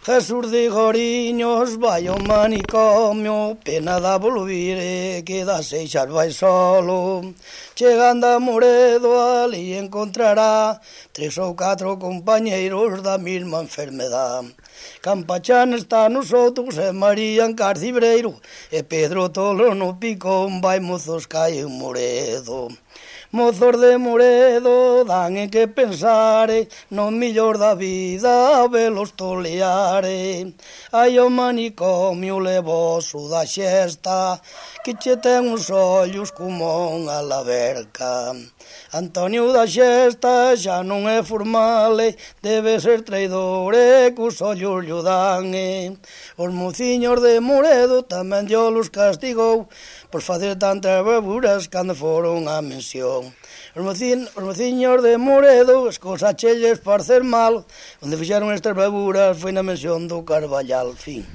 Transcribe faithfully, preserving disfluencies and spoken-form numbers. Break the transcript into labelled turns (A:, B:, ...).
A: Jesús de Goriños vai ao manicomio, pena da volvire, queda seixas vai solo. Chegando a Moredo, ali encontrará tres ou catro compañeiros da mesma enfermedad. Campachán está nos outros, e María en Carcibreiro, e Pedro Tolo no Picón, vai mozos cae en Moredo. Mozos de Moredo dan en que pensare, no millor da vida velos toleare. Ai o manicomio levoso da xesta, que che ten os ollos como unha laverca. Antonio da Xesta xa non é formal, debe ser traidor e cos ollos llo dan. Os mociños de Moredo tamén diolos castigou por facer tantas bravuras cando foron á mensión. Os, mocin, os mociños de Moredo, as cosas chelles por ser mal, onde fixeron estas bravuras foi na mensión do Carballal, fin.